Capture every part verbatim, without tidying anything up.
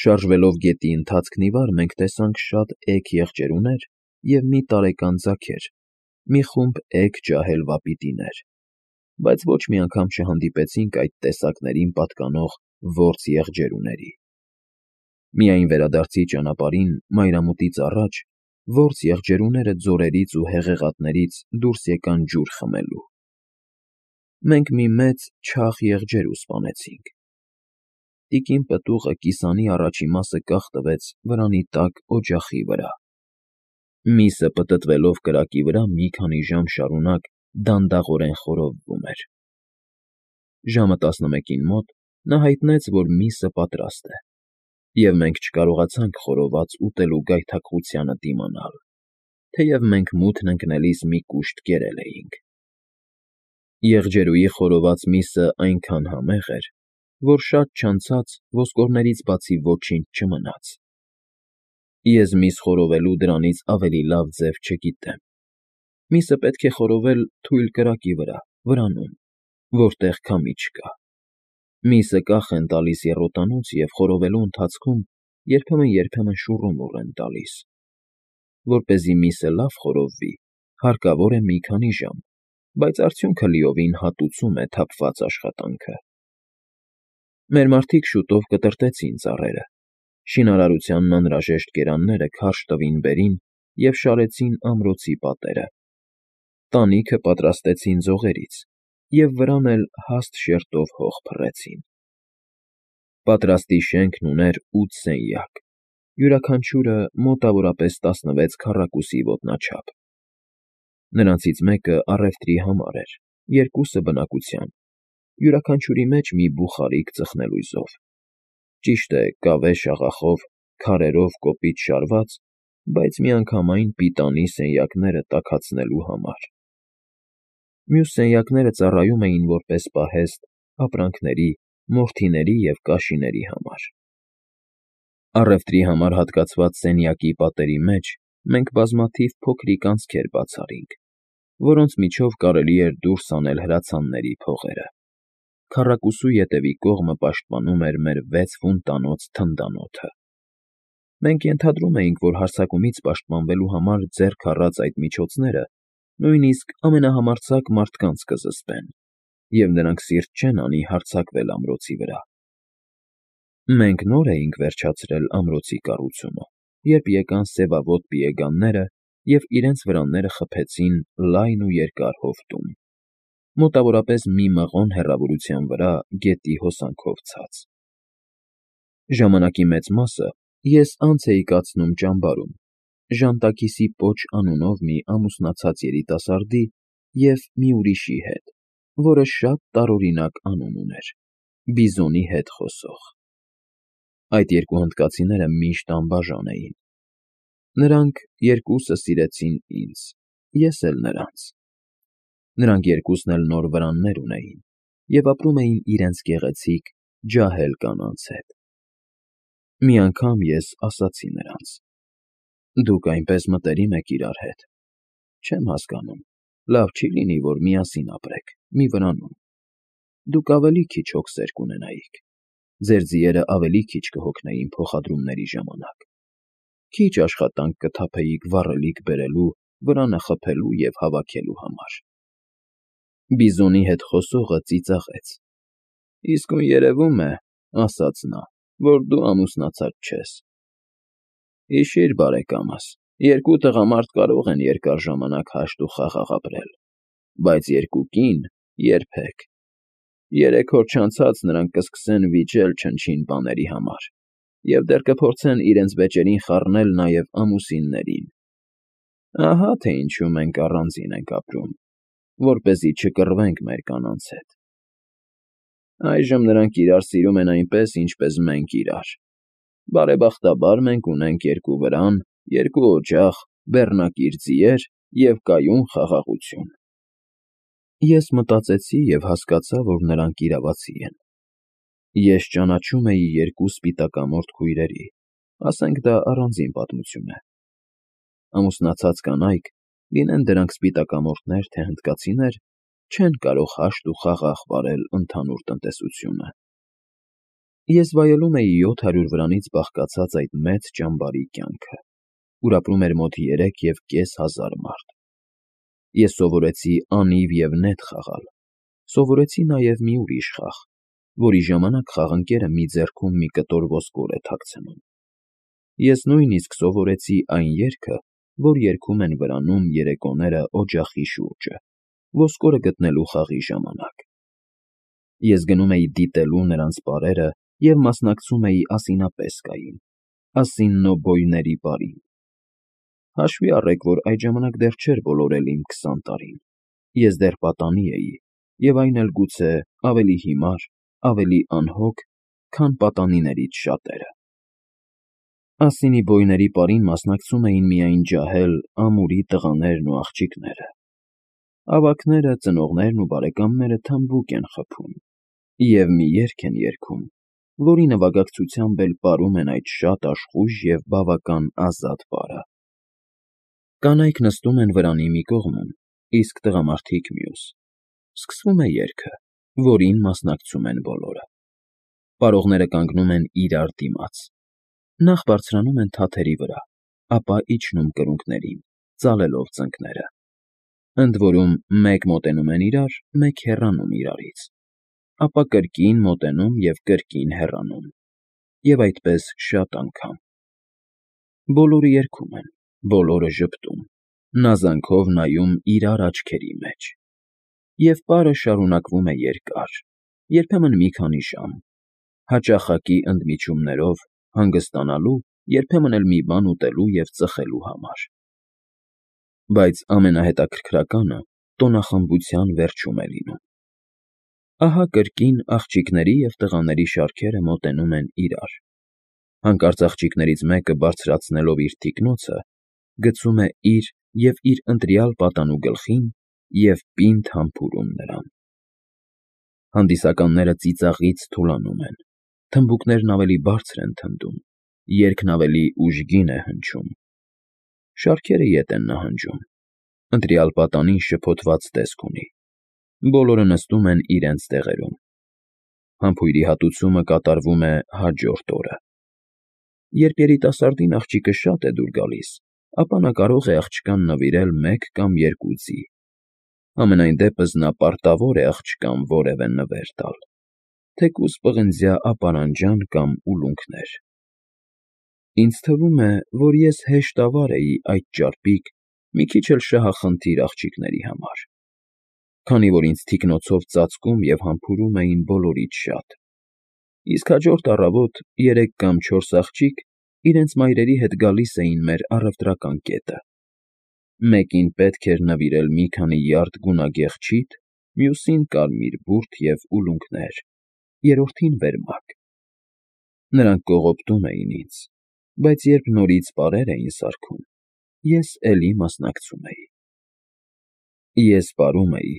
Շարժվելով գետի ընթացքն ի վար, մենք տեսանք շատ էգ եղջերուներ և մի տարեկան ձագեր, մի խումբ էգ ջահել վապիտիներ, բայց ոչ մի անգամ չհանդիպեցինք այդ տեսակներին պատկանող որս եղջերուների։ Միայն վերադարձի ճանապարհին, մայրամուտից առաջ, որս եղջերուները ձորերից ու հեղեղատներից դուրս եկան ջուր խմելու։ Մենք մի մեծ չաղ եղջերու սպանեցինք։ Տիկին պտուղը կիսանի առաջի մասը կախ տվեց վրանի տակ օջախի վրա։ Միսը պտտվելով կրակի վրա մի քանի ժամ շարունակ դանդաղորեն խորովվում էր։ Ժամը տասնմեկին մոտ նա հայտնեց, որ միսը պատրաստ է, և մենք չկարողացանք խորոված ուտելու գայթակղությանը դիմանալ, թեև մենք մութն ընկնելիս մի կուշտ կերել էինք։ Եղջերուի խորոված միսը այնքան համեղ էր, որ շատ չանցած ոսկորներից բացի ոչինչ չմնաց։ Ես միս խորովելու դրանից ավելի լավ ձև չգիտեմ։ Միսը պետք է խորովել թույլ կրակի վրա, վրանում, որտեղ քամի չկա։ Միսը կախ են տալիս եռոտանոց և խորովելու ընթացքում երբեմն֊երբեմն շուռումուռ են տալիս։ Որպեսզի միսը լավ խորովվի, հարկավոր է մի քանի ժամ, բայց արդյունքը լիովին հատուցում է թափված աշխատանքը։ Մեր մարդիկ շուտով կտրատեցին ծառերը, շինարարությանն անհրաժեշտ կերանները քարշ տվին վերին և շարեցին ամրոցի պատերը։ Տանիքը պատրաստեցին ձողերից և վրան էլ հաստ շերտով հող փռեցին։ Պատրաստի շենքն ուներ ութ սենյակ, յուրաքանչյուրը մոտավորապես տասնվեց քառակուսի ոտնաչափ։ Նրանցից մեկը առևտրի համար էր, երկուսը բնակության, յուրաքանչյուրի մեջ մի բուխարիկ ծխնելույզով, ճիշտ է, կավե շաղախով, քարերով կոպիտ շարված, բայց միանգամայն պիտանի սենյակները տաքացնելու համար։ Մյուս սենյակները ծառայում էին որպես պահեստ ապրանքների, մորթիների և կաշիների համար։ Առևտրի համար հատկացված սենյակի պատերի մեջ մենք բազմաթիվ փոքրիկ անցքեր բաց արինք, որոնց միջով կարելի էր դուրս հանել հրացանների փողերը։ Քառակուսու ետևի կողմը պաշտպանում էր մեր վեց ֆուտ թնդանոթը։ Մենք ենթադրում էինք, որ հարձակումից պաշտպանվելու համար ձեռք առած այդ միջոցները նույնիսկ ամենահամարձակ մարդկանց կզսպեն, և նրանք սիրտ չեն անի հարձակվել ամրոցի վրա։ Մենք նոր էինք վերջացրել ամրոցի կառուցումը, երբ եկան սևավոտ պիեգանները և իրենց վրանները խփեցին լայն ու երկար հովտում, մոտավորապես մի մղոն հեռավորության վրա գետի հոսանքով ցած։ Ժամանակի մեծ մասը ես անց էի կացնում ճամբարում, Ժանտաքիսի Պոչ անունով մի ամուսնացած երիտասարդի և մի ուրիշի հետ, որը շատ տարօրինակ անուն ուներ՝ Բիզոնի հետ խոսող։ Այդ երկու հնդկացիները միշտ անբաժան էին։ Նրանք երկուսը սիրեցին ինձ, ես էլ նրանց։ Նրանք երկուսն էլ նոր վրաններ ունեին և ապրում էին իրենց գեղեցիկ, ջահել կանանց հետ։ Մի անգամ ես ասացի նրանց. «Դուք այնպես մտերիմ եք իրար հետ, չեմ հասկանում, լավ չի լինի, որ միասին ապրեք, մի վրանում։ Դուք ավելի քիչ հոգսեր կունենայիք, ձեր ձիերը ավելի քիչ կհոգնեին փոխադրումների ժամանակ, քիչ աշխատանք կթափեիք վառելիք բերելու, վրանը խփելու և հավաքելու համար»։ Բիզոնի հետ խոսողը ծիծաղեց. «Իսկույն երևում է, — ասաց նա, — որ դու ամուսնացած չես։ Հիշիր, բարեկամս, երկու տղամարդ կարող են երկար ժամանակ հաշտ ու խաղաղ ապրել, բայց երկու կին՝ երբեք։ Երեք օր չանցած նրանք կսկսեն վիճել չնչին բաների համար և դեռ կփորձեն իրենց վեճերին խառնել նաև ամուսիններին։ Ահա թե ինչու մենք առանձին ենք ապրում, որպեսզի չկռվենք մեր կանանց հետ։ Այժմ նրանք իրար սիրում են այնպես, ինչպես մենք իրար։ Բարեբախտաբար մենք ունենք երկու վրան, երկու օջախ, բեռնակիր ձիեր և կայուն խաղաղություն»։ Ես մտածեցի և հասկացա, որ նրանք իրավացի են։ Ես ճանաչում էի երկու սպիտակամորթ քույրերի, ասենք դա առանձին պատմություն է։ Ամուսնացած կանայք, լինեն դրանք սպիտակամորթներ, թե հնդկացիներ, չեն կարող հաշտ ու խաղաղ վարել ընդհանուր տնտեսությունը։ Ես վայելում էի յոթ հարյուր վրանից բաղկացած այդ մեծ ճամբարի կյանքը, ուր ապրում էր մոտ երեք և կես հազար մարդ։ Ես սովորեցի անիվ և նետ խաղալ, սովորեցի նաև մի ուրիշ խաղ, որի ժամանակ խաղընկերը մի ձեռքում մի կտոր ոսկոր է թաքցնում։ Ես նույնիսկ սովորեցի այն երգը, որ երգում են վրանում երեկոները օջախի շուրջը, ոսկորը գտնելու խաղի ժամանակ։ Ես գնում էի դիտելու նրանց պարերը և մասնակցում էի ասինապեսկային, ասիննոբոյների պարին։ Հաշվի առեք, որ այդ ժամանակ դեռ չէր բոլորել իմ քսան տարին, ես դեռ պատանի էի, և այն էլ գուցե ավելի հիմար, ավելի անհոգ, քան պատանիներից շատերը։ Ասինիբոյների պարին մասնակցում էին միայն ջահել, ամուրի տղաներն ու աղջիկները։ Ավագները, ծնողներն ու բարեկամները թմբուկ են խփում և մի երգ են երգում, որի նվագակցությամբ էլ պարում են այդ շատ աշխույժ և բավական ազատ պարը։ Կանայք նստում են վրանի մի կողմում, իսկ տղամարդիկ՝ մյուս։ Սկսվում է երգը, որին մասնակցում են բոլորը։ Պարողները կանգնում են իրար դիմաց։ Նախ բարձրանում են թաթերի վրա, ապա իջնում կրունկներին, ծալելով ծնկները։ Ընդ որում, մեկ մոտենում են իրար, մեկ հեռանում իրարից, ապա կրկին մոտենում և կրկին հեռանում, և այդպես շատ անգամ։ Բոլորը երգում են, բոլորը ժպտում, նազանքով նայում իրար աչքերի մեջ։ Եվ պարը շարունակվում է երկար, երբեմն մի քանի ժամ, հաճախակի ընդմիջումներով, հանգստանալու, երբեմն էլ մի բան ուտելու և ծխելու համար։ Բայց ամենահետաքրքրականը տոնախմբության վերջում է լինում։ Ահա կրկին աղջիկների և տղաների շարքերը մոտենում են իրար։ Հանկարծ աղջիկներից մեկը բարձրացնելով իր թիկնոցը, գցում է իր և իր ընտրյալ պատանու գլխին և պինդ համբուրում նրան։ Հանդիսականները ծիծաղից թուլանում են, թմբուկներն ավելի բարձր են թնդում, երգն ավելի ուժգին է հնչում։ Շարքերը ետ են նահանջում, ընտրյալ պատանին շփոթված տեսք ունի։ Բոլորը նստում են իրենց տեղերում։ Համբույրի հատուցումը կատարվում է հաջորդ օրը։ Երբ երիտասարդին աղջիկը շատ է դուր գալիս, ապա նա կարող է աղջկան նվիրել մեկ կամ երկու ձի։ Համենայն դեպս նա պարտավոր է աղջկան որևէ նվեր տալ, թեկուզ պղնձյա ապարանջան կամ ուլունքներ։ Ինձ թվում է, որ ես հեշտավար էի այդ ճարպիկ, մի քիչ էլ շահախնդիր աղջիկների համար, քանի որ ինձ թիկնոցով ծածկում և համբուրում էին բոլորից շատ, իսկ հաջորդ առավոտ երեք կամ չորս աղջիկ իրենց մայրերի հետ գալիս էին մեր առևտրական կետը։ Մեկին պետք էր նվիրել մի քանի յարդ գունագեղ չիթ, մյուսին կարմիր բուրդ և ուլունքներ, երրորդին՝ վերմակ։ Նրանք կողոպտում էին ինձ, բայց երբ նորից պարեր էին սարքում, ես էլի մասնակցում էի։ Ես պարում էի,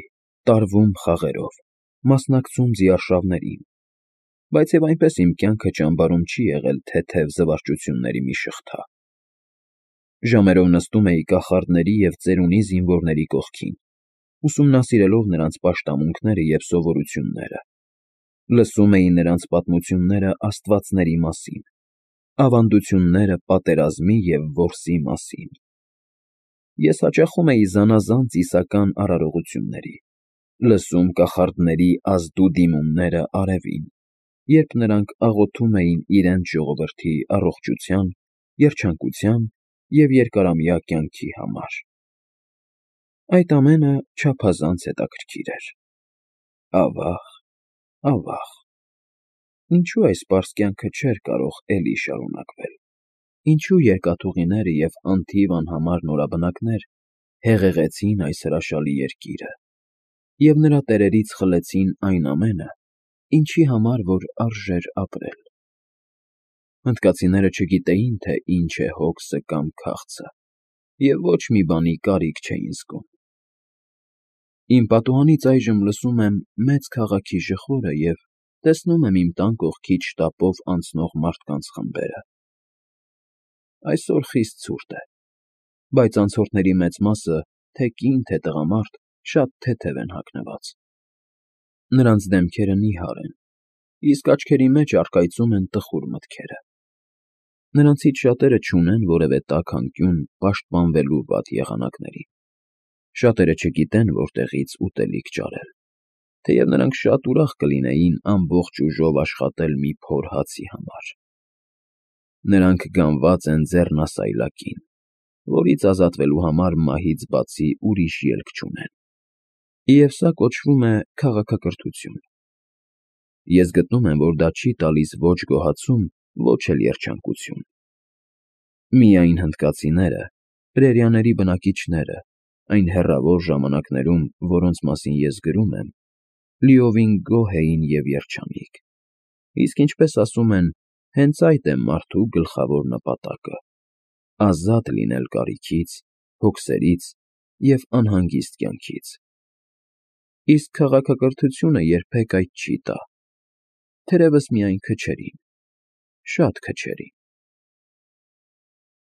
տարվում խաղերով, մասնակցում ձիարշավներին, բայց և այնպես իմ կյանքը ճամբարում չի եղել թեթև զվարճությունների մի շղթա։ Ժամերով նստում էի կախարդների և ծերունի զինվորների կողքին, ուսումնասիրելով նրանց պաշտամունքները և սովորությունները, լսում էի նրանց պատմությունները աստվածների մասին, ավանդությունները պատերազմի և որսի մասին։ Ես հաճախում էի զանազան ծիսական արարողությունների, լսում կախարդների ազդու դիմումները արևին, երբ նրանք աղոթում էին իրենց ժողովրդի առողջության, երջանկության և երկարամյա կյանքի համար։ Այդ ամենը չափազանց հետաքրքիր էր։ Ավա՜ղ, ավա՜ղ, ինչո՞ւ այս պարզ կյանքը չէր կարող էլի շարունակվել, ինչո՞ւ երկաթուղիները և անթիվ անհամար նորաբնակներ հեղեղեցին այս հրաշալի երկիրը և նրա տերերից խլեցին այն ամենը, ինչի համար որ արժեր ապրել։ Հնդկացիները չգիտեին, թե ինչ է հոգսը կամ քաղցը, և ոչ մի բանի կարիք չէին զգում։ Իմ պատուհանից այժմ լսում եմ մեծ քաղաքի ժխորը և տեսնում եմ իմ տան կողքից շտապով անցնող մարդկանց խմբերը։ Այսօր խիստ ցուրտ է, բայց անցորդների մեծ մասը, թե կին, թե տղամարդ, շատ թեթև են հագնված։ Նրանց դեմքերը նիհար են, իսկ աչքերի մեջ առկայծում են տխուր մտքերը։ Նրանցից շատերը չունեն որևէ տաք անկյուն պաշտպանվելու վատ եղանակներին, շատերը չգիտեն որտեղից ուտելիք ճարել, թեև նրանք շատ ուրախ կլինեին ամբողջ ուժով աշխատել մի փոր հացի համար։ Նրանք գանված են ձեռնասայլակին, որից ազատվելու համար մահից բացի ուրիշ ելք չունեն, և սա կոչվում է քաղաքակրթություն։ Ես գտնում եմ, որ դա չի տալիս ոչ գոհացում, ոչ էլ երջանկություն։ Միայն հնդկացիները, պրերիաների բնակիչները, այն հեռավոր ժամանակներում, որոնց մասին ես գրում եմ, լիովին գոհ էին և երջանիկ, իսկ ինչպես ասում են, հենց այդ է մարդու գլխավոր նպատակը՝ ազատ լինել կարիքից, հոգսերից և անհանգիստ կյանքից։ Իսկ քաղաքակրթությունը երբեք այդ չի տա, թերևս միայն քչերին, շատ քչերին։